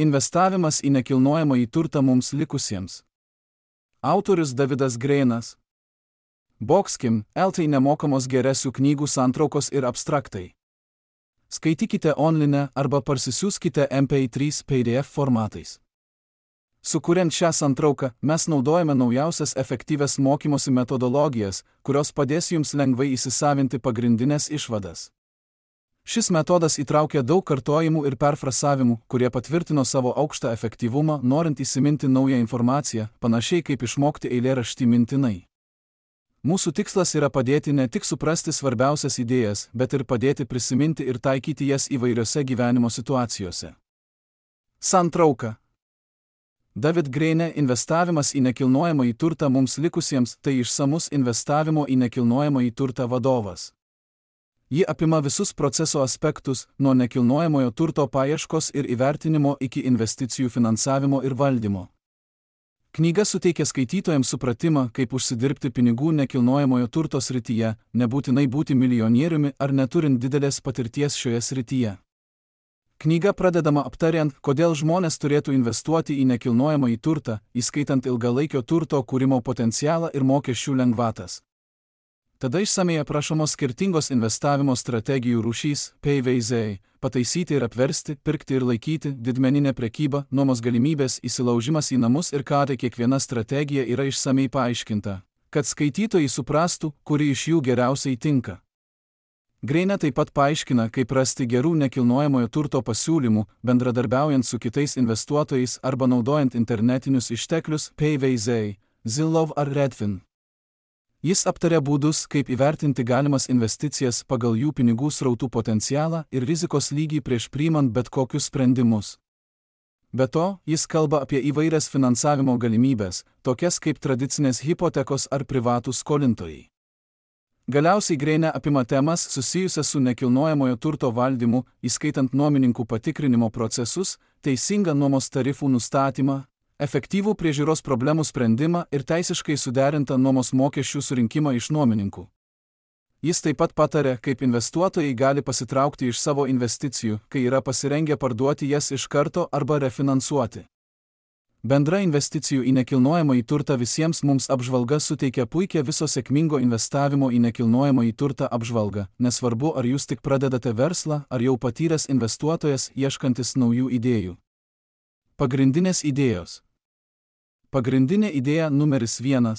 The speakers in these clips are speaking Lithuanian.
Investavimas į nekilnojamąjį turtą mums likusiems. Autorius Davidas Greinas. Boxkim, LT nemokamos geresių knygų santraukos ir abstraktai. Skaitykite online arba parsisiųskite MP3 PDF formatais. Sukuriant šią santrauką, mes naudojame naujausias efektyvias mokymosi metodologijas, kurios padės jums lengvai įsisavinti pagrindinės išvadas. Šis metodas įtraukia daug kartojimų ir perfrasavimų, kurie patvirtino savo aukštą efektyvumą, norint įsiminti naują informaciją, panašiai kaip išmokti eilėraštį mintinai. Mūsų tikslas yra padėti ne tik suprasti svarbiausias idėjas, bet ir padėti prisiminti ir taikyti jas įvairiose gyvenimo situacijose. Santrauka. David Greine investavimas į nekilnojamąjį turtą mums likusiems tai išsamus investavimo į nekilnojamąjį turtą vadovas. Ji apima visus proceso aspektus, nuo nekilnojamojo turto paieškos ir įvertinimo iki investicijų finansavimo ir valdymo. Knyga suteikia skaitytojams supratimą, kaip užsidirbti pinigų nekilnojamojo turto srityje, nebūtinai būti milijonieriumi ar neturint didelės patirties šioje srityje. Knyga pradedama aptariant, kodėl žmonės turėtų investuoti į nekilnojamąjį turtą, įskaitant ilgalaikio turto kūrimo potencialą ir mokesčių lengvatas. Tada išsamei aprašomos skirtingos investavimo strategijų rūšys, PVZ, pataisyti ir apversti, pirkti ir laikyti, didmeninė prekyba, nuomos galimybės, įsilaužimas į namus ir ką tai kiekviena strategija yra išsamei paaiškinta, kad skaitytojai suprastų, kuri iš jų geriausiai tinka. Greine taip pat paaiškina, kaip rasti gerų nekilnojamojo turto pasiūlymų, bendradarbiaujant su kitais investuotojais arba naudojant internetinius išteklius PVZ, Zillow ar Redfin. Jis aptaria būdus, kaip įvertinti galimas investicijas pagal jų pinigų srautų potencialą ir rizikos lygį prieš priimant bet kokius sprendimus. Be to, jis kalba apie įvairias finansavimo galimybės, tokias kaip tradicinės hipotekos ar privatūs skolintojai. Galiausiai Greine apima temas susijusias su nekilnojamojo turto valdymu, įskaitant nuomininkų patikrinimo procesus, teisingą nuomos tarifų nustatymą, efektyvų priežiūros problemų sprendimą ir teisiškai suderintą nuomos mokesčių surinkimą iš nuomininkų. Jis taip pat pataria, kaip investuotojai gali pasitraukti iš savo investicijų, kai yra pasirengę parduoti jas iš karto arba refinansuoti. Bendra investicijų į nekilnojamąjį turtą visiems mums apžvalga suteikia puikią viso sėkmingo investavimo į nekilnojamąjį turtą apžvalgą, nesvarbu ar jūs tik pradedate verslą, ar jau patyręs investuotojas ieškantis naujų idėjų. Pagrindinės idėjos. Pagrindinė idėja numeris 1.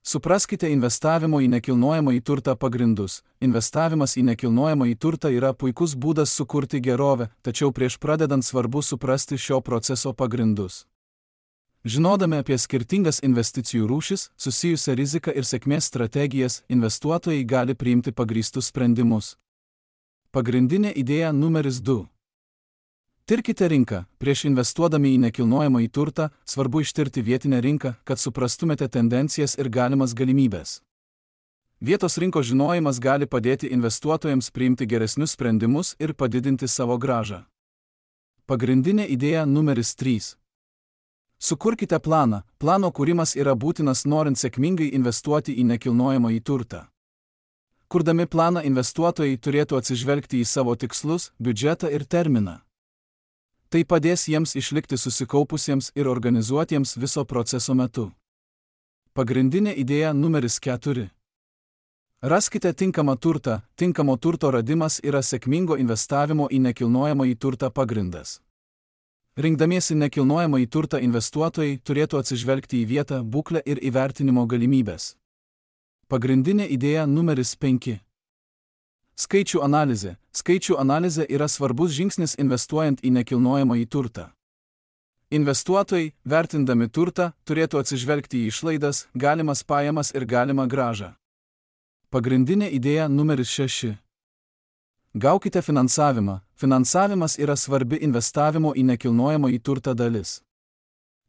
Supraskite investavimo į nekilnojamąjį turtą pagrindus. Investavimas į nekilnojamąjį turtą yra puikus būdas sukurti gerovę, tačiau prieš pradedant svarbu suprasti šio proceso pagrindus. Žinodami apie skirtingas investicijų rūšis, susijusią riziką ir sėkmės strategijas, investuotojai gali priimti pagrįstus sprendimus. Pagrindinė idėja numeris 2. Tirkite rinką. Prieš investuodami į nekilnojamąjį turtą, svarbu ištirti vietinę rinką, kad suprastumėte tendencijas ir galimas galimybės. Vietos rinkos žinojimas gali padėti investuotojams priimti geresnius sprendimus ir padidinti savo grąžą. Pagrindinė idėja numeris 3. Sukurkite planą. Plano kūrimas yra būtinas norint sėkmingai investuoti į nekilnojamąjį turtą. Kurdami planą investuotojai turėtų atsižvelgti į savo tikslus, biudžetą ir terminą. Tai padės jiems išlikti susikaupusiems ir organizuotiems viso proceso metu. Pagrindinė idėja numeris 4. Raskite tinkamą turtą. Tinkamo turto radimas yra sėkmingo investavimo į nekilnojamąjį turtą pagrindas. Rinkdamiesi nekilnojamąjį turtą investuotojai turėtų atsižvelgti į vietą, būklę ir įvertinimo galimybės. Pagrindinė idėja numeris 5. Skaičių analizė. Skaičių analizė yra svarbus žingsnis investuojant į nekilnojamąjį turtą. Investuotojai, vertindami turtą, turėtų atsižvelgti į išlaidas, galimas pajamas ir galimą grąžą. Pagrindinė idėja numeris 6. Gaukite finansavimą. Finansavimas yra svarbi investavimo į nekilnojamąjį turtą dalis.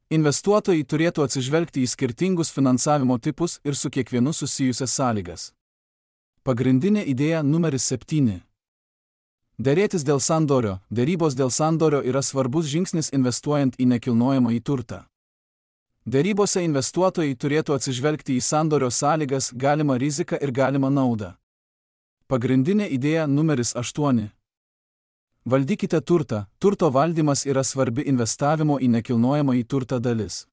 Investuotojai turėtų atsižvelgti į skirtingus finansavimo tipus ir su kiekvienu susijusias sąlygas. Pagrindinė idėja numeris 7. Derėtis dėl sandorio. Derybos dėl sandorio yra svarbus žingsnis investuojant į nekilnojamąjį turtą. Derybose investuotojai turėtų atsižvelgti į sandorio sąlygas, galimą riziką ir galimą naudą. Pagrindinė idėja numeris 8. Valdykite turtą. Turto valdymas yra svarbi investavimo į nekilnojamąjį turtą dalis.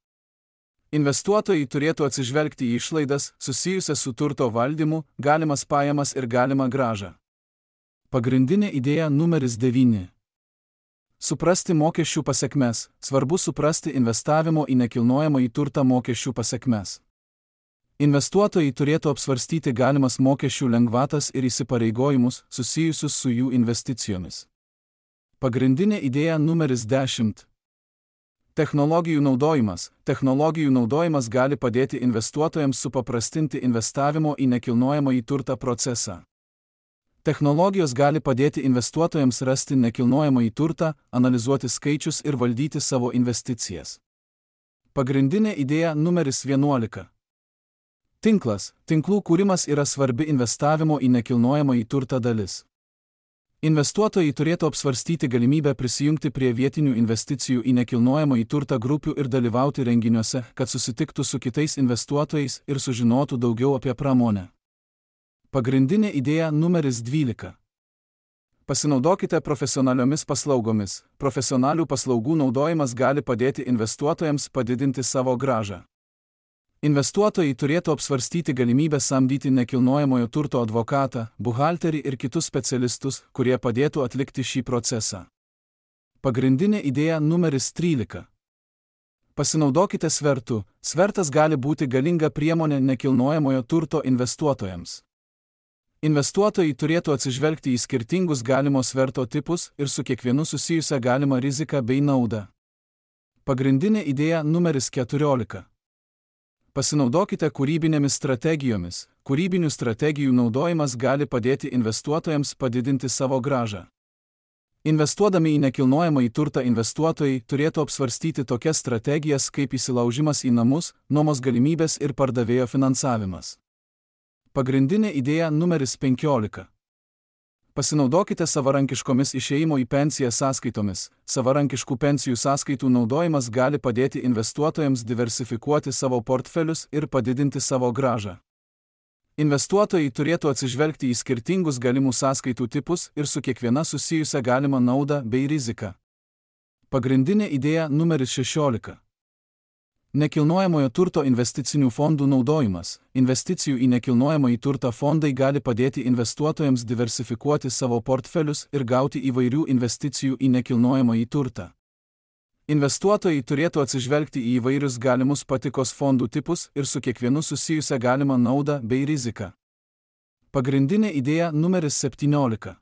Investuotojai turėtų atsižvelgti į išlaidas susijusias su turto valdymu, galimas pajamas ir galimą grąžą. Pagrindinė idėja numeris 9. Suprasti mokesčių pasekmes. Svarbu suprasti investavimo į nekilnojamąjį turtą mokesčių pasekmes. Investuotojai turėtų apsvarstyti galimas mokesčių lengvatas ir įsipareigojimus susijusius su jų investicijomis. Pagrindinė idėja numeris 10. Technologijų naudojimas. Technologijų naudojimas gali padėti investuotojams supaprastinti investavimo į nekilnojamąjį turtą procesą. Technologijos gali padėti investuotojams rasti nekilnojamąjį turtą, analizuoti skaičius ir valdyti savo investicijas. Pagrindinė idėja numeris 11. Tinklas. Tinklų kūrimas yra svarbi investavimo į nekilnojamąjį turtą dalis. Investuotojai turėtų apsvarstyti galimybę prisijungti prie vietinių investicijų į nekilnojamąjį turtą grupių ir dalyvauti renginiuose, kad susitiktų su kitais investuotojais ir sužinotų daugiau apie pramonę. Pagrindinė idėja numeris 12. Pasinaudokite profesionaliomis paslaugomis. Profesionalių paslaugų naudojimas gali padėti investuotojams padidinti savo grąžą. Investuotojai turėtų apsvarstyti galimybę samdyti nekilnojamojo turto advokatą, buhalterį ir kitus specialistus, kurie padėtų atlikti šį procesą. Pagrindinė idėja numeris 13. Pasinaudokite svertu. Svertas gali būti galinga priemonė nekilnojamojo turto investuotojams. Investuotojai turėtų atsižvelgti į skirtingus galimo sverto tipus ir su kiekvienu susijusią galimą riziką bei naudą. Pagrindinė idėja numeris 14. Pasinaudokite kūrybinėmis strategijomis. Kūrybinių strategijų naudojimas gali padėti investuotojams padidinti savo grąžą. Investuodami į nekilnojamąjį turtą investuotojai turėtų apsvarstyti tokias strategijas kaip įsilaužimas į namus, nuomos galimybės ir pardavėjo finansavimas. Pagrindinė idėja numeris 15. Pasinaudokite savarankiškomis išėjimo į pensiją sąskaitomis. Savarankiškų pensijų sąskaitų naudojimas gali padėti investuotojams diversifikuoti savo portfelius ir padidinti savo grąžą. Investuotojai turėtų atsižvelgti į skirtingus galimų sąskaitų tipus ir su kiekviena susijusią galimą naudą bei riziką. Pagrindinė idėja numeris 16. Nekilnojamojo turto investicinių fondų naudojimas. Investicijų į nekilnojamąjį turtą fondai gali padėti investuotojams diversifikuoti savo portfelius ir gauti įvairių investicijų į nekilnojamąjį turtą. Investuotojai turėtų atsižvelgti į įvairius galimus patikos fondų tipus ir su kiekvienu susijusią galimą naudą bei riziką. Pagrindinė idėja numeris 17.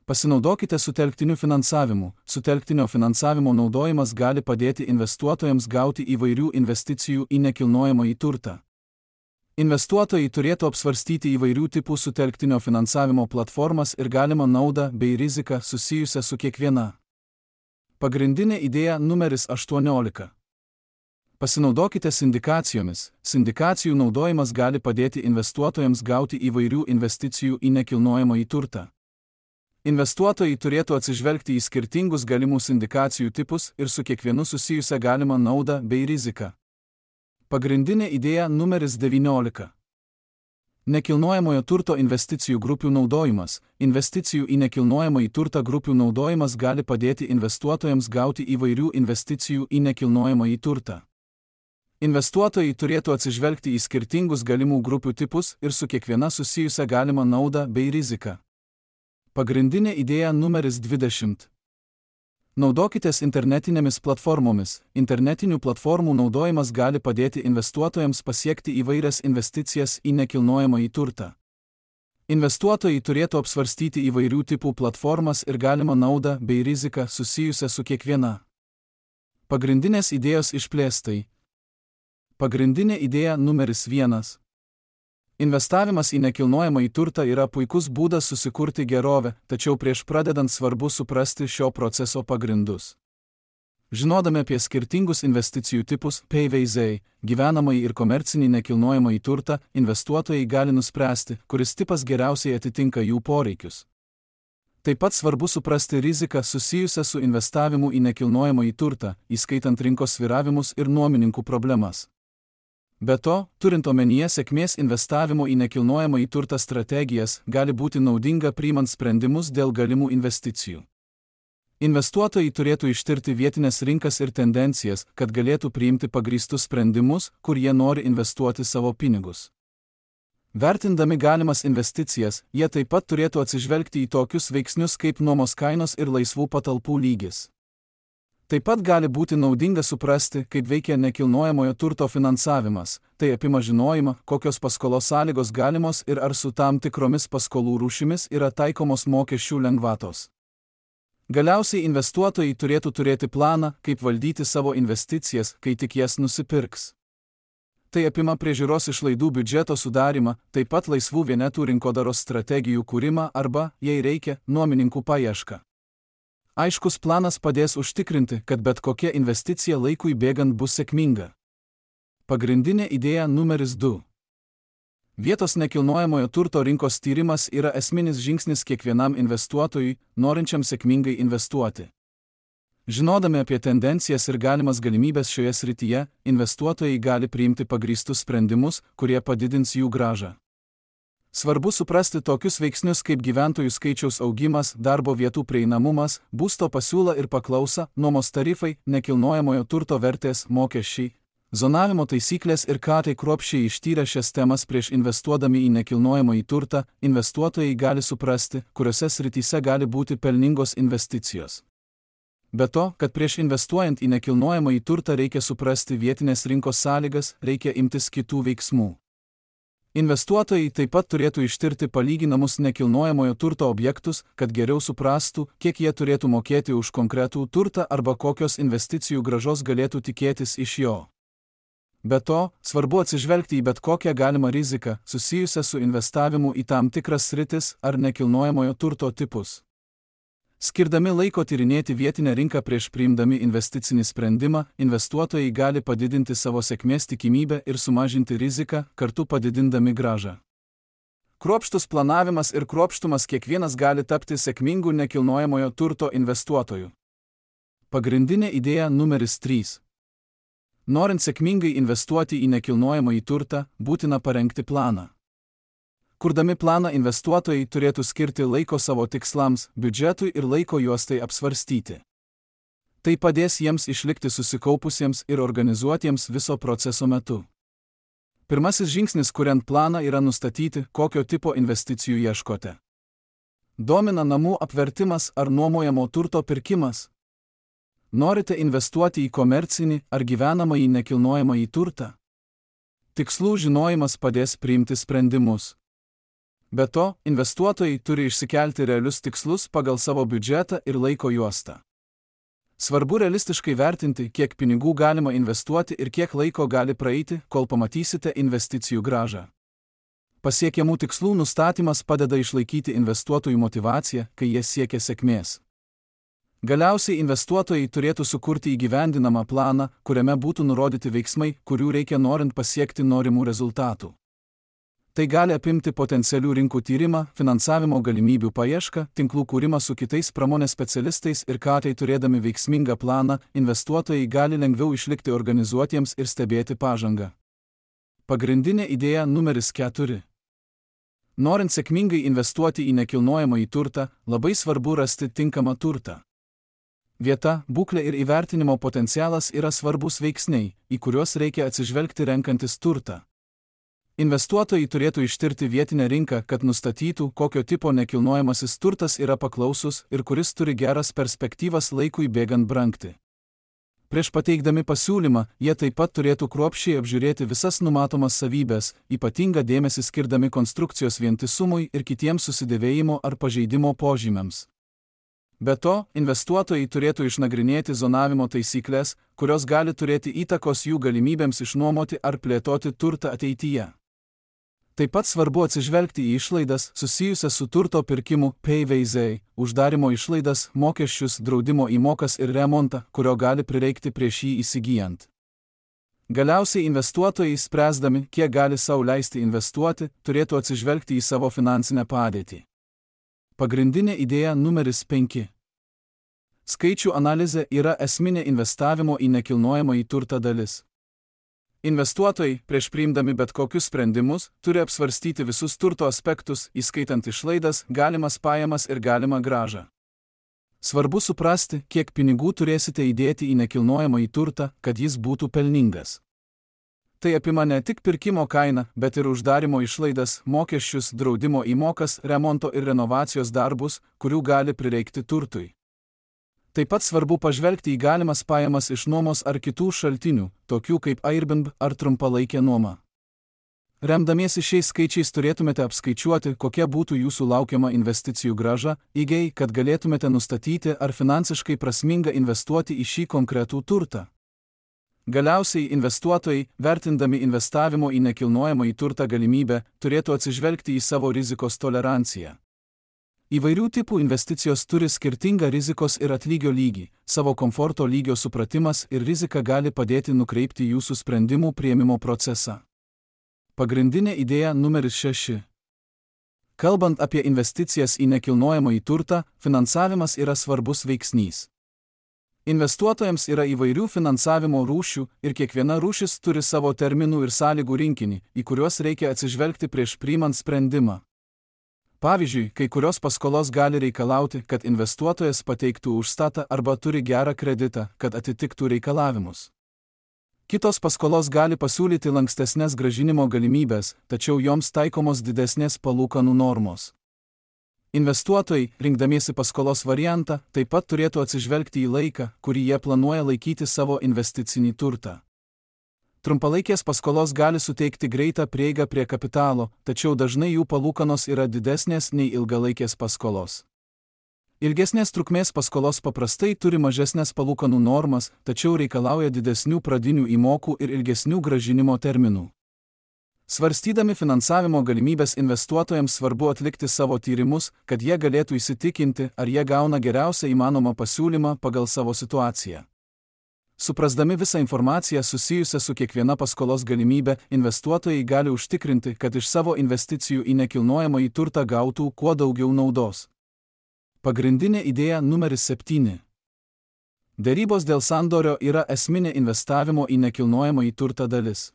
Pasinaudokite sutelktiniu finansavimu. Sutelktinio finansavimo naudojimas gali padėti investuotojams gauti įvairių investicijų į nekilnojamąjį turtą. Investuotojai turėtų apsvarstyti įvairių tipų sutelktinio finansavimo platformas ir galimą naudą bei riziką susijusią su kiekviena. Pagrindinė idėja numeris 18. Pasinaudokite sindikacijomis. Sindikacijų naudojimas gali padėti investuotojams gauti įvairių investicijų į nekilnojamąjį turtą. Investuotojai turėtų atsižvelgti į skirtingus galimų sindikacijų tipus ir su kiekvienu susijusią galimą naudą bei riziką. Pagrindinė idėja numeris 19. Nekilnojamojo turto investicijų grupių naudojimas. Investicijų į nekilnojamąjį turtą grupių naudojimas gali padėti investuotojams gauti įvairių investicijų į nekilnojamąjį turtą. Investuotojai turėtų atsižvelgti į skirtingus galimų grupių tipus ir su kiekviena susijusią galimą naudą bei riziką. Pagrindinė idėja numeris 20. Naudokitės internetinėmis platformomis. Internetinių platformų naudojimas gali padėti investuotojams pasiekti įvairias investicijas į nekilnojamąjį turtą. Investuotojai turėtų apsvarstyti įvairių tipų platformas ir galimą naudą bei riziką susijusią su kiekviena. Pagrindinės idėjos išplėstai. Pagrindinė idėja numeris 1. Investavimas į nekilnojamąjį turtą yra puikus būdas susikurti gerovę, tačiau prieš pradedant svarbu suprasti šio proceso pagrindus. Žinodami apie skirtingus investicijų tipus, PVZ, gyvenamąjį ir komercinį nekilnojamąjį turtą, investuotojai gali nuspręsti, kuris tipas geriausiai atitinka jų poreikius. Taip pat svarbu suprasti riziką susijusią su investavimu į nekilnojamąjį turtą, įskaitant rinkos svyravimus ir nuomininkų problemas. Be to, turint omenyje sėkmės investavimo į nekilnojamąjį turtą strategijas, gali būti naudinga priimant sprendimus dėl galimų investicijų. Investuotojai turėtų ištirti vietinės rinkas ir tendencijas, kad galėtų priimti pagrįstus sprendimus, kur jie nori investuoti savo pinigus. Vertindami galimas investicijas, jie taip pat turėtų atsižvelgti į tokius veiksnius kaip nuomos kainos ir laisvų patalpų lygis. Taip pat gali būti naudinga suprasti, kaip veikia nekilnojamojo turto finansavimas, tai apima žinojimą, kokios paskolos sąlygos galimos ir ar su tam tikromis paskolų rūšimis yra taikomos mokesčių lengvatos. Galiausiai investuotojai turėtų turėti planą, kaip valdyti savo investicijas, kai tik jas nusipirks. Tai apima priežiūros išlaidų biudžeto sudarimą, taip pat laisvų vienetų rinkodaros strategijų kūrimą arba, jei reikia, nuomininkų paiešką. Aiškus planas padės užtikrinti, kad bet kokia investicija laikui bėgant bus sėkminga. Pagrindinė idėja numeris 2. Vietos nekilnojamojo turto rinkos tyrimas yra esminis žingsnis kiekvienam investuotojui, norinčiam sėkmingai investuoti. Žinodami apie tendencijas ir galimas galimybės šioje srityje, investuotojai gali priimti pagrįstus sprendimus, kurie padidins jų grąžą. Svarbu suprasti tokius veiksnius kaip gyventojų skaičiaus augimas, darbo vietų prieinamumas, būsto pasiūla ir paklausa, nuomos tarifai, nekilnojamojo turto vertės, mokesčiai, zonavimo taisyklės ir tai kruopščiai ištyrę šias temas prieš investuodami į nekilnojamąjį turtą, investuotojai gali suprasti, kuriuose srityse gali būti pelningos investicijos. Be to, kad prieš investuojant į nekilnojamąjį turtą reikia suprasti vietinės rinkos sąlygas, reikia imtis kitų veiksmų. Investuotojai taip pat turėtų ištirti palyginamus nekilnojamojo turto objektus, kad geriau suprastų, kiek jie turėtų mokėti už konkretų turtą arba kokios investicijų grąžos galėtų tikėtis iš jo. Be to, svarbu atsižvelgti į bet kokią galimą riziką, susijusią su investavimu į tam tikras sritis ar nekilnojamojo turto tipus. Skirdami laiko tyrinėti vietinę rinką prieš priimdami investicinį sprendimą, investuotojai gali padidinti savo sėkmės tikimybę ir sumažinti riziką, kartu padidindami grąžą. Kruopštus planavimas ir kruopštumas kiekvienas gali tapti sėkmingu nekilnojamojo turto investuotoju. Pagrindinė idėja numeris 3. Norint sėkmingai investuoti į nekilnojamąjį turtą, būtina parengti planą. Kurdami planą investuotojai turėtų skirti laiko savo tikslams, biudžetui ir laiko juos tai apsvarstyti. Tai padės jiems išlikti susikaupusiems ir organizuotiems viso proceso metu. Pirmasis žingsnis kuriant planą yra nustatyti, kokio tipo investicijų ieškote. Domina namų apvertimas ar nuomojamo turto pirkimas? Norite investuoti į komercinį ar gyvenamąjį nekilnojamąjį turtą? Tikslų žinojimas padės priimti sprendimus. Be to, investuotojai turi išsikelti realius tikslus pagal savo biudžetą ir laiko juostą. Svarbu realistiškai vertinti, kiek pinigų galima investuoti ir kiek laiko gali praeiti, kol pamatysite investicijų grąžą. Pasiekiamų tikslų nustatymas padeda išlaikyti investuotojų motyvaciją, kai jie siekia sėkmės. Galiausiai investuotojai turėtų sukurti įgyvendinamą planą, kuriame būtų nurodyti veiksmai, kurių reikia norint pasiekti norimų rezultatų. Tai gali apimti potencialių rinkų tyrimą, finansavimo galimybių paiešką, tinklų kūrimą su kitais pramonės specialistais ir tai turėdami veiksmingą planą, investuotojai gali lengviau išlikti organizuotiems ir stebėti pažangą. Pagrindinė idėja numeris 4. Norint sėkmingai investuoti į nekilnojamąjį turtą, labai svarbu rasti tinkamą turtą. Vieta, būklė ir įvertinimo potencialas yra svarbus veiksniai, į kuriuos reikia atsižvelgti renkantis turtą. Investuotojai turėtų ištirti vietinę rinką, kad nustatytų, kokio tipo nekilnojamasis turtas yra paklausus ir kuris turi geras perspektyvas laikui bėgant brangti. Prieš pateikdami pasiūlymą, jie taip pat turėtų kruopščiai apžiūrėti visas numatomas savybės, ypatingą dėmesį skirdami konstrukcijos vientisumui ir kitiems susidėvėjimo ar pažeidimo požymiams. Be to, investuotojai turėtų išnagrinėti zonavimo taisyklės, kurios gali turėti įtakos jų galimybėms išnuomoti ar plėtoti turtą ateityje. Taip pat svarbu atsižvelgti į išlaidas susijusias su turto pirkimu, PVZ, uždarimo išlaidas, mokesčius, draudimo įmokas ir remontą, kurio gali prireikti prieš jį įsigijant. Galiausiai investuotojai, spręsdami, kiek gali sau leisti investuoti, turėtų atsižvelgti į savo finansinę padėtį. Pagrindinė idėja numeris 5. Skaičių analizė yra esminė investavimo į nekilnojamąjį turtą dalis. Investuotojai, prieš priimdami bet kokius sprendimus, turi apsvarstyti visus turto aspektus, įskaitant išlaidas, galimas pajamas ir galimą grąžą. Svarbu suprasti, kiek pinigų turėsite įdėti į nekilnojamąjį turtą, kad jis būtų pelningas. Tai apima ne tik pirkimo kainą, bet ir uždarimo išlaidas, mokesčius, draudimo įmokas, remonto ir renovacijos darbus, kurių gali prireikti turtui. Taip pat svarbu pažvelgti į galimas pajamas iš nuomos ar kitų šaltinių, tokių kaip Airbnb ar trumpalaikė nuoma. Remdamiesi šiais skaičiais turėtumėte apskaičiuoti, kokia būtų jūsų laukiama investicijų grąža, kad galėtumėte nustatyti, ar finansiškai prasminga investuoti į šį konkretų turtą. Galiausiai investuotojai, vertindami investavimo į nekilnojamąjį turtą galimybę, turėtų atsižvelgti į savo rizikos toleranciją. Įvairių tipų investicijos turi skirtingą rizikos ir atlygio lygį, savo komforto lygio supratimas ir rizika gali padėti nukreipti jūsų sprendimų priėmimo procesą. Pagrindinė idėja numeris 6. Kalbant apie investicijas į nekilnojamąjį turtą, finansavimas yra svarbus veiksnys. Investuotojams yra įvairių finansavimo rūšių ir kiekviena rūšis turi savo terminų ir sąlygų rinkinį, į kuriuos reikia atsižvelgti prieš priimant sprendimą. Pavyzdžiui, kai kurios paskolos gali reikalauti, kad investuotojas pateiktų užstatą arba turi gerą kreditą, kad atitiktų reikalavimus. Kitos paskolos gali pasiūlyti lankstesnės grąžinimo galimybės, tačiau joms taikomos didesnės palūkanų normos. Investuotojai, rinkdamiesi paskolos variantą, taip pat turėtų atsižvelgti į laiką, kurį jie planuoja laikyti savo investicinį turtą. Trumpalaikės paskolos gali suteikti greitą prieigą prie kapitalo, tačiau dažnai jų palūkanos yra didesnės nei ilgalaikės paskolos. Ilgesnės trukmės paskolos paprastai turi mažesnės palūkanų normas, tačiau reikalauja didesnių pradinių įmokų ir ilgesnių grąžinimo terminų. Svarstydami finansavimo galimybės investuotojams svarbu atlikti savo tyrimus, kad jie galėtų įsitikinti, ar jie gauna geriausią įmanomą pasiūlymą pagal savo situaciją. Suprasdami visą informaciją susijusią su kiekviena paskolos galimybė, investuotojai gali užtikrinti, kad iš savo investicijų į nekilnojamąjį turtą gautų kuo daugiau naudos. Pagrindinė idėja numeris 7. Derybos dėl sandorio yra esminė investavimo į nekilnojamąjį turtą dalis.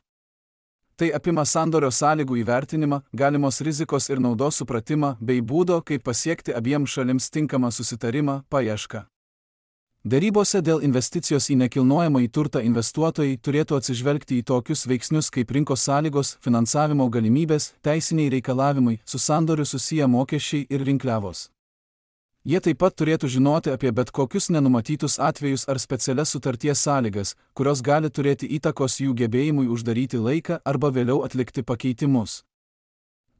Tai apima sandorio sąlygų įvertinimą, galimos rizikos ir naudos supratimą bei būdo, kaip pasiekti abiems šalims tinkamą susitarimą, paiešką. Derybose dėl investicijos į nekilnojamąjį turtą investuotojai turėtų atsižvelgti į tokius veiksnius kaip rinkos sąlygos, finansavimo galimybės, teisiniai reikalavimai, su sandoriu susiję mokesčiai ir rinkliavos. Jie taip pat turėtų žinoti apie bet kokius nenumatytus atvejus ar specialias sutarties sąlygas, kurios gali turėti įtakos jų gebėjimui uždaryti laiką arba vėliau atlikti pakeitimus.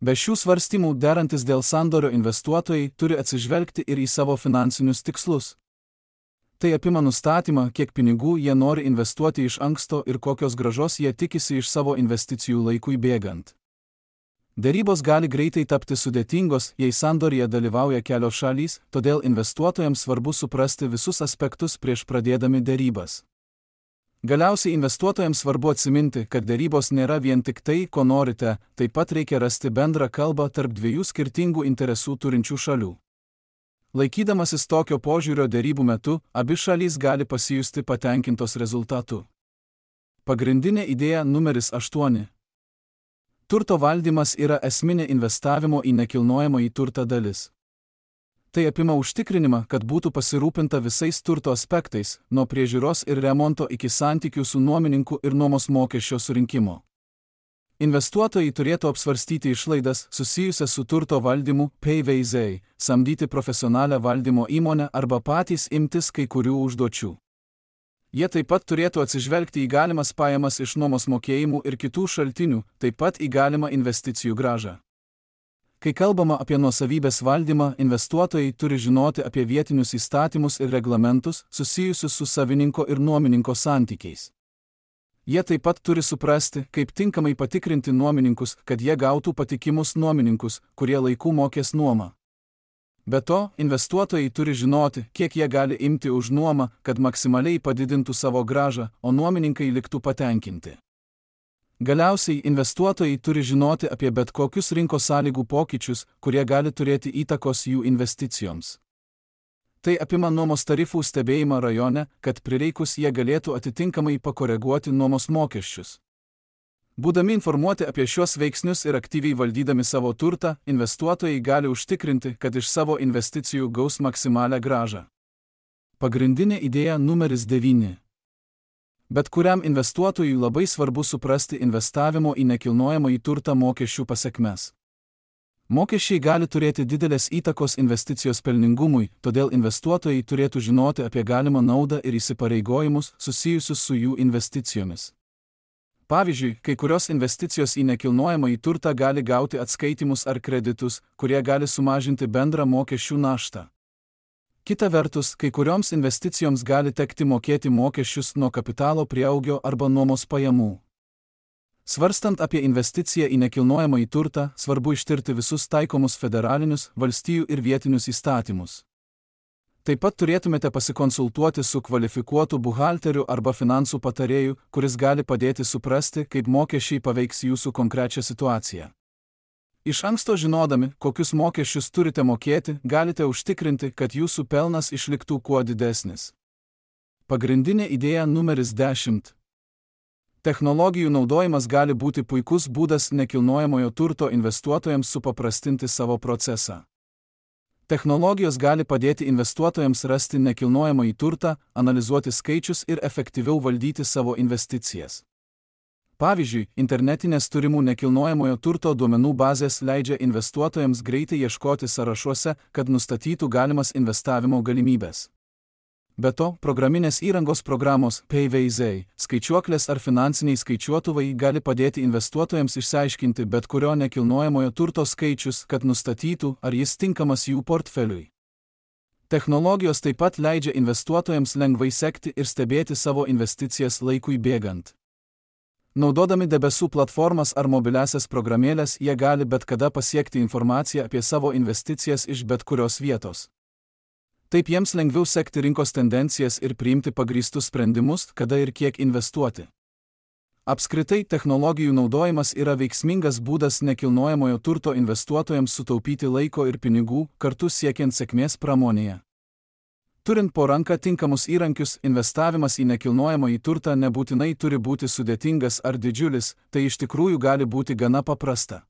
Be šių svarstymų derantis dėl sandorio investuotojai turi atsižvelgti ir į savo finansinius tikslus. Tai apima nustatymą, kiek pinigų jie nori investuoti iš anksto ir kokios grąžos jie tikisi iš savo investicijų laikui bėgant. Derybos gali greitai tapti sudėtingos, jei sandoryje dalyvauja kelios šalys, todėl investuotojams svarbu suprasti visus aspektus prieš pradėdami derybas. Galiausiai investuotojams svarbu atsiminti, kad derybos nėra vien tik tai, ko norite, taip pat reikia rasti bendrą kalbą tarp dviejų skirtingų interesų turinčių šalių. Laikydamasis tokio požiūrio derybų metu, abi šalys gali pasijusti patenkintos rezultatu. Pagrindinė idėja numeris 8. Turto valdymas yra esminė investavimo į nekilnojamąjį turtą dalis. Tai apima užtikrinimą, kad būtų pasirūpinta visais turto aspektais, nuo priežiūros ir remonto iki santykių su nuomininku ir nuomos mokesčio surinkimo. Investuotojai turėtų apsvarstyti išlaidas susijusias su turto valdymu, PVZ, samdyti profesionalią valdymo įmonę arba patys imtis kai kurių užduočių. Jie taip pat turėtų atsižvelgti į galimas pajamas iš nuomos mokėjimų ir kitų šaltinių, taip pat į galimą investicijų grąžą. Kai kalbama apie nuosavybės valdymą, investuotojai turi žinoti apie vietinius įstatymus ir reglamentus susijusius su savininko ir nuomininko santykiais. Jie taip pat turi suprasti, kaip tinkamai patikrinti nuomininkus, kad jie gautų patikimus nuomininkus, kurie laiku mokės nuomą. Be to, investuotojai turi žinoti, kiek jie gali imti už nuomą, kad maksimaliai padidintų savo grąžą, o nuomininkai liktų patenkinti. Galiausiai, investuotojai turi žinoti apie bet kokius rinkos sąlygų pokyčius, kurie gali turėti įtakos jų investicijoms. Tai apima nuomos tarifų stebėjimą rajone, kad prireikus jie galėtų atitinkamai pakoreguoti nuomos mokesčius. Būdami informuoti apie šios veiksnius ir aktyviai valdydami savo turtą, investuotojai gali užtikrinti, kad iš savo investicijų gaus maksimalią grąžą. Pagrindinė idėja numeris 9. Bet kuriam investuotojui labai svarbu suprasti investavimo į nekilnojamąjį turtą mokesčių pasekmes. Mokesčiai gali turėti didelės įtakos investicijos pelningumui, todėl investuotojai turėtų žinoti apie galimą naudą ir įsipareigojimus susijusius su jų investicijomis. Pavyzdžiui, kai kurios investicijos į nekilnojamąjį turtą gali gauti atskaitimus ar kreditus, kurie gali sumažinti bendrą mokesčių naštą. Kita vertus, kai kurioms investicijoms gali tekti mokėti mokesčius nuo kapitalo prieaugio arba nuomos pajamų. Svarstant apie investiciją į nekilnojamąjį turtą, svarbu ištirti visus taikomus federalinius, valstijų ir vietinius įstatymus. Taip pat turėtumėte pasikonsultuoti su kvalifikuotu buhalteriu arba finansų patarėju, kuris gali padėti suprasti, kaip mokesčiai paveiks jūsų konkrečią situaciją. Iš anksto žinodami, kokius mokesčius turite mokėti, galite užtikrinti, kad jūsų pelnas išliktų kuo didesnis. Pagrindinė idėja numeris 10. Technologijų naudojimas gali būti puikus būdas nekilnojamojo turto investuotojams supaprastinti savo procesą. Technologijos gali padėti investuotojams rasti nekilnojamąjį turtą, analizuoti skaičius ir efektyviau valdyti savo investicijas. Pavyzdžiui, internetinės turimų nekilnojamojo turto duomenų bazės leidžia investuotojams greitai ieškoti sąrašuose, kad nustatytų galimas investavimo galimybės. Be to, programinės įrangos programos PayVaizai, skaičiuoklės ar finansiniai skaičiuotuvai gali padėti investuotojams išsiaiškinti bet kurio nekilnojamojo turto skaičius, kad nustatytų, ar jis tinkamas jų portfeliui. Technologijos taip pat leidžia investuotojams lengvai sekti ir stebėti savo investicijas laikui bėgant. Naudodami debesų platformas ar mobiliasias programėlės, jie gali bet kada pasiekti informaciją apie savo investicijas iš bet kurios vietos. Taip jiems lengviau sekti rinkos tendencijas ir priimti pagrįstus sprendimus, kada ir kiek investuoti. Apskritai, technologijų naudojimas yra veiksmingas būdas nekilnojamojo turto investuotojams sutaupyti laiko ir pinigų, kartu siekiant sėkmės pramonėje. Turint po ranką tinkamus įrankius, investavimas į nekilnojamąjį turtą nebūtinai turi būti sudėtingas ar didžiulis, tai iš tikrųjų gali būti gana paprasta.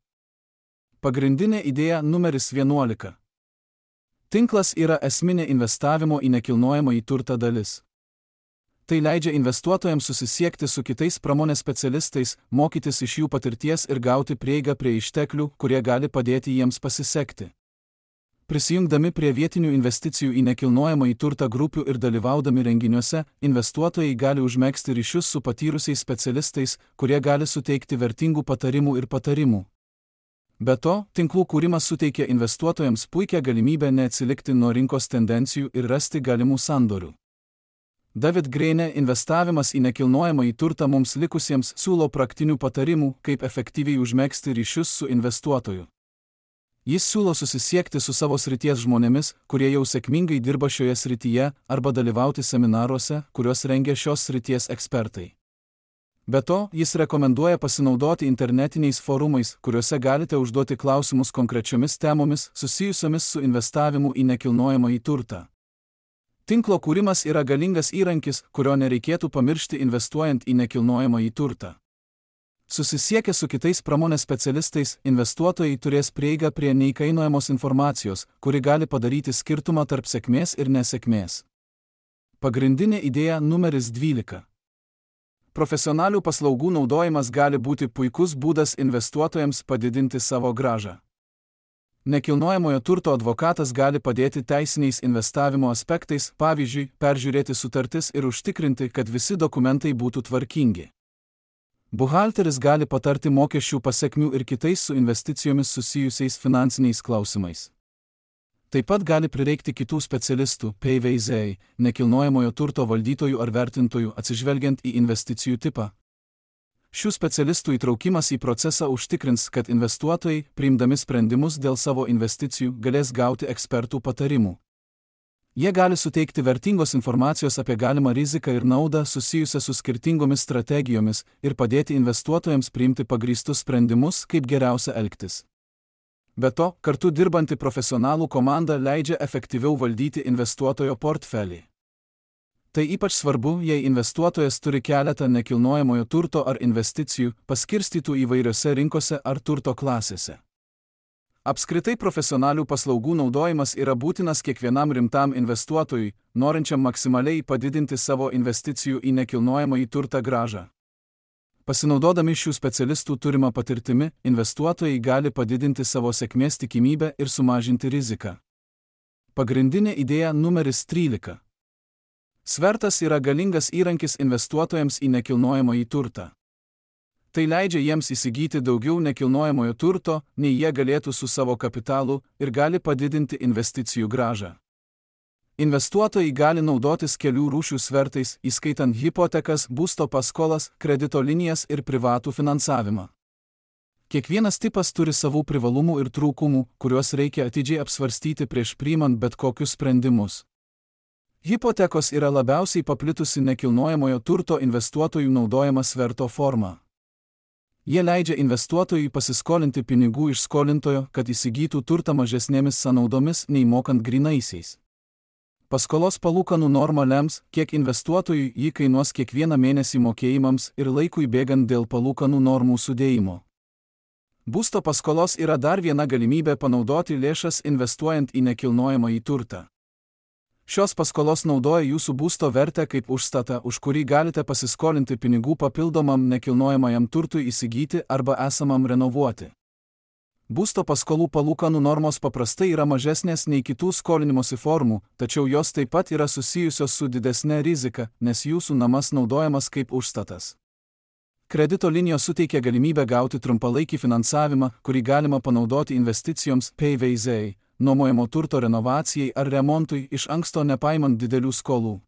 Pagrindinė idėja numeris 11. Tinklas yra esminė investavimo į nekilnojamąjį turtą dalis. Tai leidžia investuotojams susisiekti su kitais pramonės specialistais, mokytis iš jų patirties ir gauti prieigą prie išteklių, kurie gali padėti jiems pasisekti. Prisijungdami prie vietinių investicijų į nekilnojamąjį turtą grupių ir dalyvaudami renginiuose, investuotojai gali užmegzti ryšius su patyrusiais specialistais, kurie gali suteikti vertingų patarimų ir patarimų. Be to, tinklų kūrimas suteikia investuotojams puikią galimybę neatsilikti nuo rinkos tendencijų ir rasti galimų sandorių. David Graine investavimas į nekilnojamąjį turtą mums likusiems siūlo praktinių patarimų, kaip efektyviai užmegzti ryšius su investuotoju. Jis siūlo susisiekti su savo srities žmonėmis, kurie jau sėkmingai dirba šioje srityje, arba dalyvauti seminaruose, kuriuos rengia šios srities ekspertai. Be to, jis rekomenduoja pasinaudoti internetiniais forumais, kuriuose galite užduoti klausimus konkrečiomis temomis susijusiomis su investavimu į nekilnojamąjį turtą. Tinklo kūrimas yra galingas įrankis, kurio nereikėtų pamiršti investuojant į nekilnojamąjį turtą. Susisiekę su kitais pramonės specialistais, investuotojai turės prieigą prie neįkainojamos informacijos, kuri gali padaryti skirtumą tarp sėkmės ir nesėkmės. Pagrindinė idėja numeris 12. Profesionalių paslaugų naudojimas gali būti puikus būdas investuotojams padidinti savo grąžą. Nekilnojamojo turto advokatas gali padėti teisiniais investavimo aspektais, pavyzdžiui, peržiūrėti sutartis ir užtikrinti, kad visi dokumentai būtų tvarkingi. Buhalteris gali patarti mokesčių pasekmių ir kitais su investicijomis susijusiais finansiniais klausimais. Taip pat gali prireikti kitų specialistų, PayVaizai, nekilnojamojo turto valdytojų ar vertintojų atsižvelgiant į investicijų tipą. Šių specialistų įtraukimas į procesą užtikrins, kad investuotojai, priimdami sprendimus dėl savo investicijų, galės gauti ekspertų patarimų. Jie gali suteikti vertingos informacijos apie galimą riziką ir naudą susijusią su skirtingomis strategijomis ir padėti investuotojams priimti pagrįstus sprendimus, kaip geriausia elgtis. Be to, kartu dirbanti profesionalų komanda leidžia efektyviau valdyti investuotojo portfelį. Tai ypač svarbu, jei investuotojas turi keletą nekilnojamojo turto ar investicijų, paskirstytų įvairiose rinkose ar turto klasėse. Apskritai profesionalių paslaugų naudojimas yra būtinas kiekvienam rimtam investuotojui, norinčiam maksimaliai padidinti savo investicijų į nekilnojamąjį turtą grąžą. Pasinaudodami šių specialistų turimą patirtimi, investuotojai gali padidinti savo sėkmės tikimybę ir sumažinti riziką. Pagrindinė idėja numeris 13. Svertas yra galingas įrankis investuotojams į nekilnojamąjį turtą. Tai leidžia jiems įsigyti daugiau nekilnojamojo turto, nei jie galėtų su savo kapitalu ir gali padidinti investicijų grąžą. Investuotojai gali naudotis kelių rūšių svertais, įskaitant hipotekas, būsto paskolas, kredito linijas ir privatų finansavimą. Kiekvienas tipas turi savų privalumų ir trūkumų, kuriuos reikia atidžiai apsvarstyti prieš priimant bet kokius sprendimus. Hipotekos yra labiausiai paplitusi nekilnojamojo turto investuotojų naudojama sverto forma. Jie leidžia investuotojui pasiskolinti pinigų iš skolintojo, kad įsigytų turtą mažesnėmis sąnaudomis nei mokant grynaisiais. Paskolos palūkanų norma lems, kiek investuotojui jį kainuos kiekvieną mėnesį mokėjimams ir laikui bėgant dėl palūkanų normų sudėjimo. Būsto paskolos yra dar viena galimybė panaudoti lėšas investuojant į nekilnojamąjį turtą. Šios paskolos naudoja jūsų būsto vertę kaip užstatą, už kurį galite pasiskolinti pinigų papildomam nekilnojamajam turtui įsigyti arba esamam renovuoti. Būsto paskolų palūkanų normos paprastai yra mažesnės nei kitų skolinimosi formų, tačiau jos taip pat yra susijusios su didesne rizika, nes jūsų namas naudojamas kaip užstatas. Kredito linijos suteikia galimybę gauti trumpalaikį finansavimą, kurį galima panaudoti investicijoms PVZ, nuomojamo turto renovacijai ar remontui iš anksto nepaimant didelių skolų.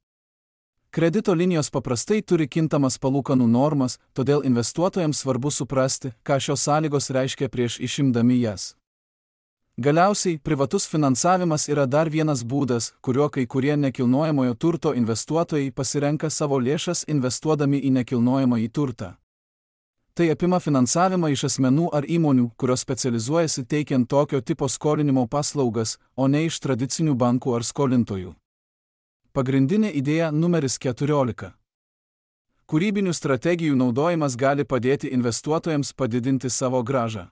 Kredito linijos paprastai turi kintamas palūkanų normas, todėl investuotojams svarbu suprasti, ką šios sąlygos reiškia prieš išimdami jas. Galiausiai, privatus finansavimas yra dar vienas būdas, kuriuo kai kurie nekilnojamojo turto investuotojai pasirenka savo lėšas investuodami į nekilnojamąjį turtą. Tai apima finansavimą iš asmenų ar įmonių, kurios specializuojasi teikiant tokio tipo skolinimo paslaugas, o ne iš tradicinių bankų ar skolintojų. Pagrindinė idėja numeris 14. Kūrybinių strategijų naudojimas gali padėti investuotojams padidinti savo grąžą.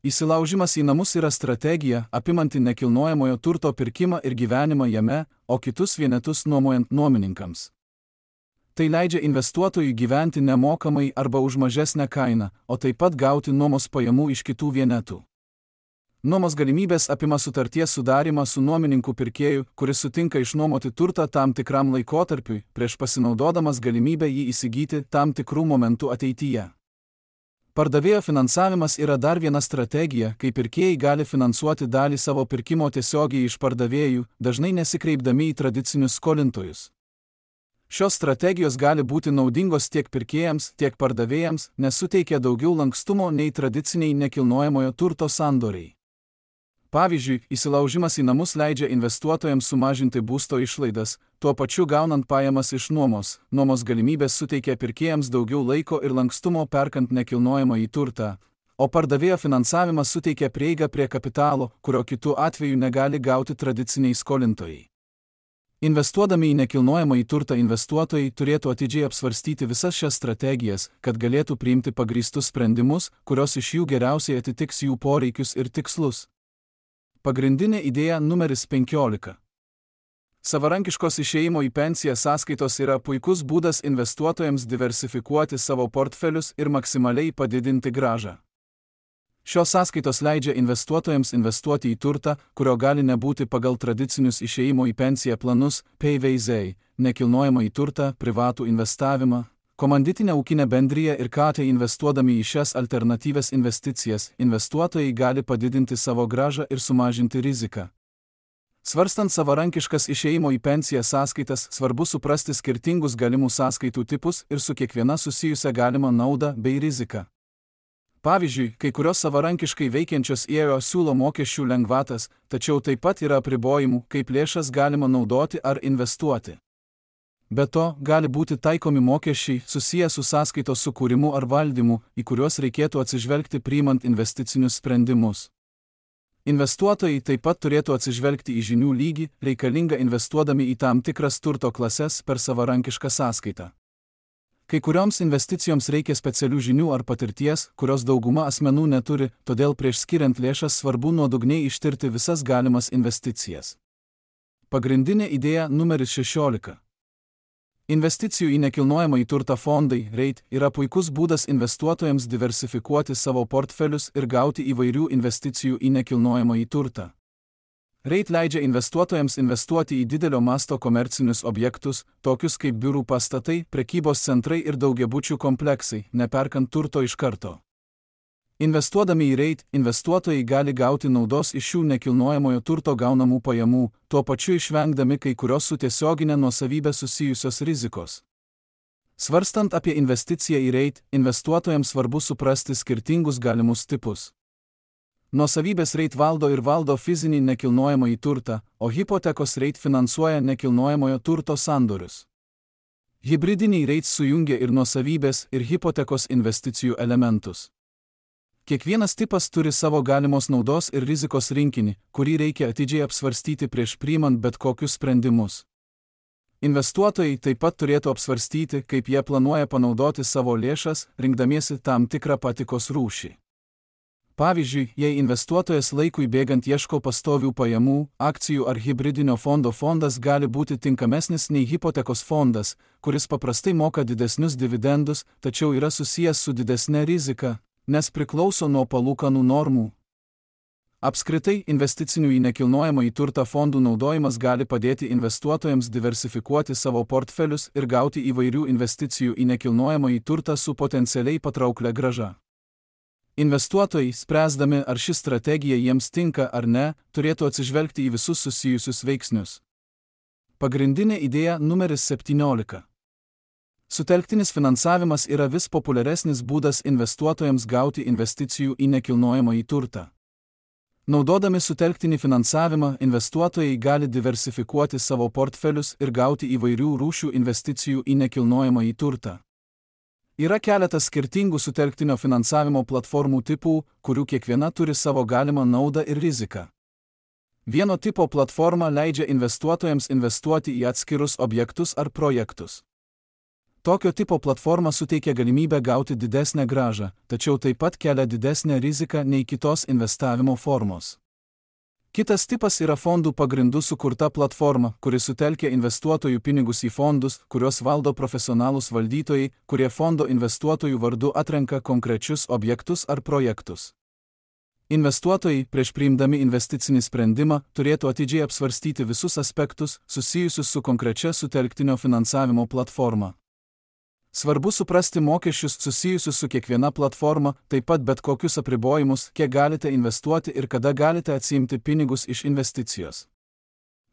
Įsilaužimas į namus yra strategija, apimanti nekilnojamojo turto pirkimą ir gyvenimą jame, o kitus vienetus nuomojant nuomininkams. Tai leidžia investuotojui gyventi nemokamai arba už mažesnę kainą, o taip pat gauti nuomos pajamų iš kitų vienetų. Nuomos galimybės apima sutarties sudarimą su nuomininku pirkėju, kuris sutinka išnuomoti turtą tam tikram laikotarpiui, prieš pasinaudodamas galimybę jį įsigyti tam tikrų momentų ateityje. Pardavėjo finansavimas yra dar viena strategija, kai pirkėjai gali finansuoti dalį savo pirkimo tiesiogiai iš pardavėjų, dažnai nesikreipdami į tradicinius skolintojus. Šios strategijos gali būti naudingos tiek pirkėjams, tiek pardavėjams, nes suteikia daugiau lankstumo nei tradiciniai nekilnojamojo turto sandoriai. Pavyzdžiui, įsilaužimas į namus leidžia investuotojams sumažinti būsto išlaidas, tuo pačiu gaunant pajamas iš nuomos. Nuomos galimybės suteikia pirkėjams daugiau laiko ir lankstumo perkant nekilnojamąjį turtą, o pardavėjo finansavimas suteikia prieigą prie kapitalo, kurio kitu atveju negali gauti tradiciniai skolintojai. Investuodami į nekilnojamąjį turtą investuotojai turėtų atidžiai apsvarstyti visas šias strategijas, kad galėtų priimti pagrįstus sprendimus, kurios iš jų geriausiai atitiks jų poreikius ir tikslus. Pagrindinė idėja numeris 15. Savarankiškos išėjimo į pensiją sąskaitos yra puikus būdas investuotojams diversifikuoti savo portfelius ir maksimaliai padidinti grąžą. Šios sąskaitos leidžia investuotojams investuoti į turtą, kurio gali nebūti pagal tradicinius išėjimo į pensiją planus, PVZ, nekilnojamą į turtą, privatų investavimą, komanditinę ūkinę bendriją ir KT. Investuodami į šias alternatyvias investicijas, investuotojai gali padidinti savo grąžą ir sumažinti riziką. Svarstant savarankiškas išėjimo į pensiją sąskaitas, svarbu suprasti skirtingus galimų sąskaitų tipus ir su kiekviena susijusią galimą naudą bei riziką. Pavyzdžiui, kai kurios savarankiškai veikiančios IEO siūlo mokesčių lengvatas, tačiau taip pat yra apribojimų, kaip lėšas galima naudoti ar investuoti. Be to, gali būti taikomi mokesčiai susiję su sąskaitos sukūrimu ar valdymu, į kuriuos reikėtų atsižvelgti priimant investicinius sprendimus. Investuotojai taip pat turėtų atsižvelgti į žinių lygį, reikalingą investuodami į tam tikras turto klases per savarankišką sąskaitą. Kai kurioms investicijoms reikia specialių žinių ar patirties, kurios dauguma asmenų neturi, todėl prieš skiriant lėšas svarbu nuodugniai ištirti visas galimas investicijas. Pagrindinė idėja numeris 16. Investicijų į nekilnojamąjį turtą fondai REIT yra puikus būdas investuotojams diversifikuoti savo portfelius ir gauti įvairių investicijų į nekilnojamąjį turtą. REIT leidžia investuotojams investuoti į didelio masto komercinius objektus, tokius kaip biurų pastatai, prekybos centrai ir daugiabučių kompleksai, neperkant turto iš karto. Investuodami į REIT, investuotojai gali gauti naudos iš šių nekilnojamojo turto gaunamų pajamų, tuo pačiu išvengdami kai kurios su tiesioginė nuosavybė susijusios rizikos. Svarstant apie investiciją į REIT, investuotojams svarbu suprasti skirtingus galimus tipus. Nuosavybės REIT valdo fizinį nekilnojamąjį turtą, o hipotekos REIT finansuoja nekilnojamojo turto sandorius. Hibridiniai REIT sujungia ir nuosavybės, ir hipotekos investicijų elementus. Kiekvienas tipas turi savo galimos naudos ir rizikos rinkinį, kurį reikia atidžiai apsvarstyti prieš priimant bet kokius sprendimus. Investuotojai taip pat turėtų apsvarstyti, kaip jie planuoja panaudoti savo lėšas, rinkdamiesi tam tikrą patikos rūšį. Pavyzdžiui, jei investuotojas laikui bėgant ieško pastovių pajamų, akcijų ar hibridinio fondo fondas gali būti tinkamesnis nei hipotekos fondas, kuris paprastai moka didesnius dividendus, tačiau yra susijęs su didesne rizika, nes priklauso nuo palūkanų normų. Apskritai, investicinių į nekilnojamąjį turtą fondų naudojimas gali padėti investuotojams diversifikuoti savo portfelius ir gauti įvairių investicijų į nekilnojamąjį turtą su potencialiai patrauklia grąža. Investuotojai, spręsdami, ar ši strategija jiems tinka ar ne, turėtų atsižvelgti į visus susijusius veiksnius. Pagrindinė idėja numeris 17. Sutelktinis finansavimas yra vis populiaresnis būdas investuotojams gauti investicijų į nekilnojamąjį turtą. Naudodami sutelktinį finansavimą, investuotojai gali diversifikuoti savo portfelius ir gauti įvairių rūšių investicijų į nekilnojamąjį turtą. Yra keletas skirtingų sutelktinio finansavimo platformų tipų, kurių kiekviena turi savo galimą naudą ir riziką. Vieno tipo platforma leidžia investuotojams investuoti į atskirus objektus ar projektus. Tokio tipo platforma suteikia galimybę gauti didesnę grąžą, tačiau taip pat kelia didesnę riziką nei kitos investavimo formos. Kitas tipas yra fondų pagrindų sukurta platforma, kuri sutelkia investuotojų pinigus į fondus, kuriuos valdo profesionalūs valdytojai, kurie fondo investuotojų vardu atrenka konkrečius objektus ar projektus. Investuotojai, prieš priimdami investicinį sprendimą, turėtų atidžiai apsvarstyti visus aspektus, susijusius su konkrečia sutelktinio finansavimo platforma. Svarbu suprasti mokesčius susijusius su kiekviena platforma, taip pat bet kokius apribojimus, kiek galite investuoti ir kada galite atsiimti pinigus iš investicijos.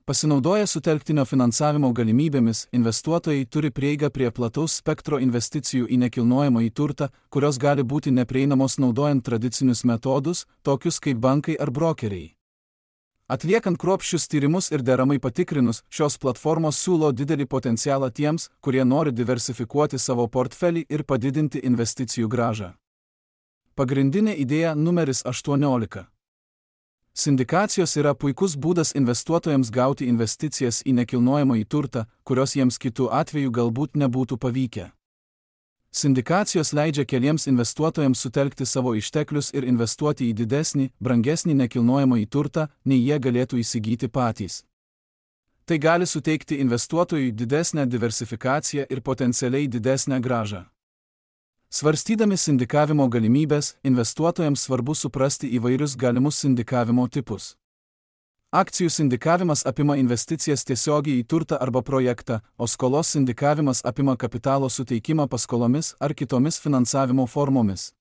Pasinaudoję sutelktinio finansavimo galimybėmis, investuotojai turi prieigą prie plataus spektro investicijų į nekilnojamąjį turtą, kurios gali būti neprieinamos naudojant tradicinius metodus, tokius kaip bankai ar brokeriai. Atliekant kruopščius tyrimus ir deramai patikrinus, šios platformos siūlo didelį potencialą tiems, kurie nori diversifikuoti savo portfelį ir padidinti investicijų grąžą. Pagrindinė idėja numeris 18. Sindikacijos yra puikus būdas investuotojams gauti investicijas į nekilnojamąjį turtą, kurios jiems kitų atveju galbūt nebūtų pavykę. Sindikacijos leidžia keliems investuotojams sutelkti savo išteklius ir investuoti į didesnį, brangesnį nekilnojamąjį turtą, nei jie galėtų įsigyti patys. Tai gali suteikti investuotojui didesnę diversifikaciją ir potencialiai didesnę grąžą. Svarstydami sindikavimo galimybės, investuotojams svarbu suprasti įvairius galimus sindikavimo tipus. Akcijų sindikavimas apima investicijas tiesiogiai į turtą arba projektą, o skolos sindikavimas apima kapitalo suteikimą paskolomis ar kitomis finansavimo formomis.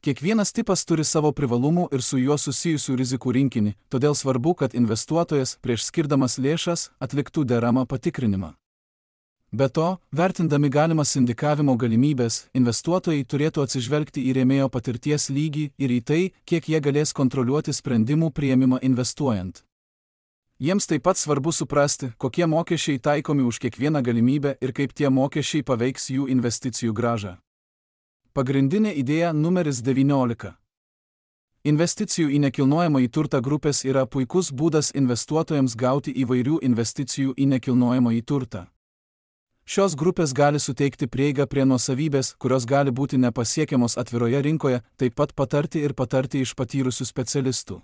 Kiekvienas tipas turi savo privalumų ir su juo susijusių rizikų rinkinį, todėl svarbu, kad investuotojas prieš skirdamas lėšas atliktų deramą patikrinimą. Be to, vertindami galimas sindikavimo galimybės, investuotojai turėtų atsižvelgti į rėmėjo patirties lygį ir į tai, kiek jie galės kontroliuoti sprendimų priėmimą investuojant. Jiems taip pat svarbu suprasti, kokie mokesčiai taikomi už kiekvieną galimybę ir kaip tie mokesčiai paveiks jų investicijų grąžą. Pagrindinė idėja numeris 19. Investicijų į nekilnojamąjį turtą grupės yra puikus būdas investuotojams gauti įvairių investicijų į nekilnojamąjį turtą. Šios grupės gali suteikti prieigą prie nuosavybės, kurios gali būti nepasiekiamos atviroje rinkoje, taip pat patarti iš patyrusių specialistų.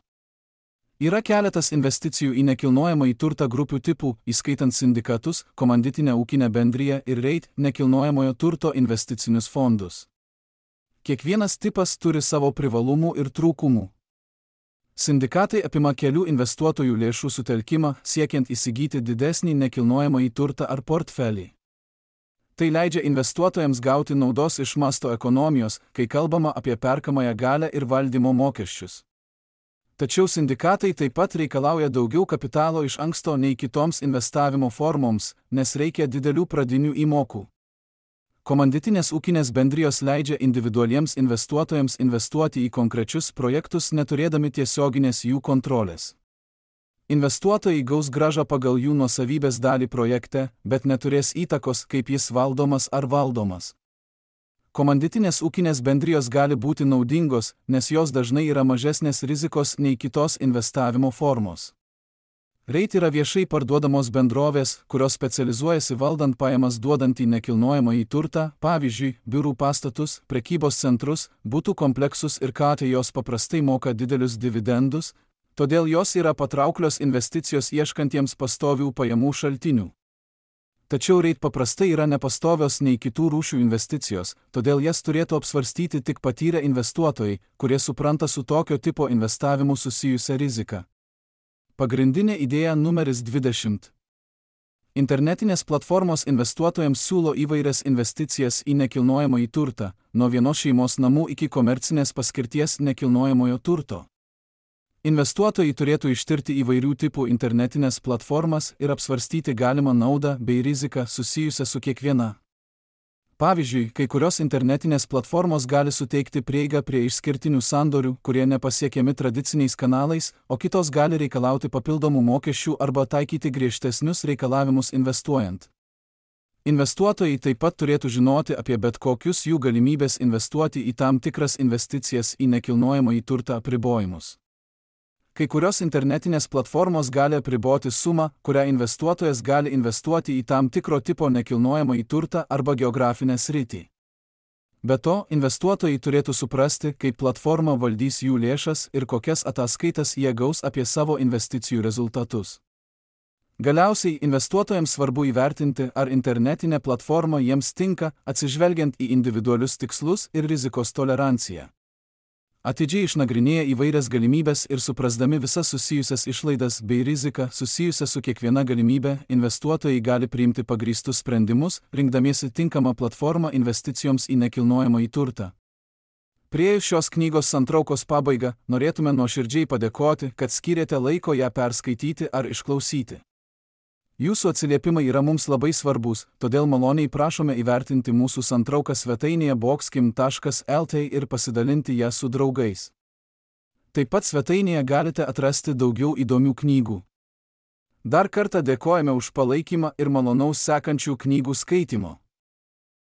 Yra keletas investicijų į nekilnojamąjį turtą grupių tipų, įskaitant sindikatus, komanditinę ūkinę bendriją ir REIT nekilnojamojo turto investicinius fondus. Kiekvienas tipas turi savo privalumų ir trūkumų. Sindikatai apima kelių investuotojų lėšų sutelkimą, siekiant įsigyti didesnį nekilnojamąjį turtą ar portfelį. Tai leidžia investuotojams gauti naudos iš masto ekonomijos, kai kalbama apie perkamąją galią ir valdymo mokesčius. Tačiau sindikatai taip pat reikalauja daugiau kapitalo iš anksto nei kitoms investavimo formoms, nes reikia didelių pradinių įmokų. Komanditinės ūkinės bendrijos leidžia individualiems investuotojams investuoti į konkrečius projektus, neturėdami tiesioginės jų kontrolės. Investuotojai gaus grąžą pagal jų nuosavybės dalį projekte, bet neturės įtakos, kaip jis valdomas ar valdomas. Komanditinės ūkinės bendrijos gali būti naudingos, nes jos dažnai yra mažesnės rizikos nei kitos investavimo formos. REIT yra viešai parduodamos bendrovės, kurios specializuojasi valdant pajamas duodantį nekilnojamąjį turtą, pavyzdžiui, biurų pastatus, prekybos centrus, butų kompleksus ir KT. Jos paprastai moka didelius dividendus, todėl jos yra patrauklios investicijos ieškantiems pastovių pajamų šaltinių. Tačiau REIT paprastai yra nepastovios nei kitų rūšių investicijos, todėl jas turėtų apsvarstyti tik patyrę investuotojai, kurie supranta su tokio tipo investavimu susijusią riziką. Pagrindinė idėja numeris 20. Internetinės platformos investuotojams siūlo įvairias investicijas į nekilnojamąjį turtą, nuo vienos šeimos namų iki komercinės paskirties nekilnojamojo turto. Investuotojai turėtų ištirti įvairių tipų internetinės platformas ir apsvarstyti galimą naudą bei riziką susijusią su kiekviena. Pavyzdžiui, kai kurios internetinės platformos gali suteikti prieigą prie išskirtinių sandorių, kurie nepasiekiami tradiciniais kanalais, o kitos gali reikalauti papildomų mokesčių arba taikyti griežtesnius reikalavimus investuojant. Investuotojai taip pat turėtų žinoti apie bet kokius jų galimybės investuoti į tam tikras investicijas į nekilnojamąjį turtą apribojimus. Kai kurios internetinės platformos gali apriboti sumą, kurią investuotojas gali investuoti į tam tikro tipo nekilnojamąjį turtą arba geografinę sritį. Be to, investuotojai turėtų suprasti, kaip platforma valdys jų lėšas ir kokias ataskaitas jie gaus apie savo investicijų rezultatus. Galiausiai, investuotojams svarbu įvertinti, ar internetinė platforma jiems tinka, atsižvelgiant į individualius tikslus ir rizikos toleranciją. Atidžiai išnagrinėję įvairias galimybės ir suprasdami visas susijusias išlaidas bei riziką susijusią su kiekviena galimybė, investuotojai gali priimti pagrįstus sprendimus, rinkdamiesi tinkamą platformą investicijoms į nekilnojamąjį turtą. Priėjus šios knygos santraukos pabaigą, norėtume nuoširdžiai padėkoti, kad skyrėte laiko ją perskaityti ar išklausyti. Jūsų atsiliepimai yra mums labai svarbus, todėl maloniai prašome įvertinti mūsų santrauką svetainėje boxkim.lt ir pasidalinti ją su draugais. Taip pat svetainėje galite atrasti daugiau įdomių knygų. Dar kartą dėkojame už palaikymą ir malonaus sekančių knygų skaitimo.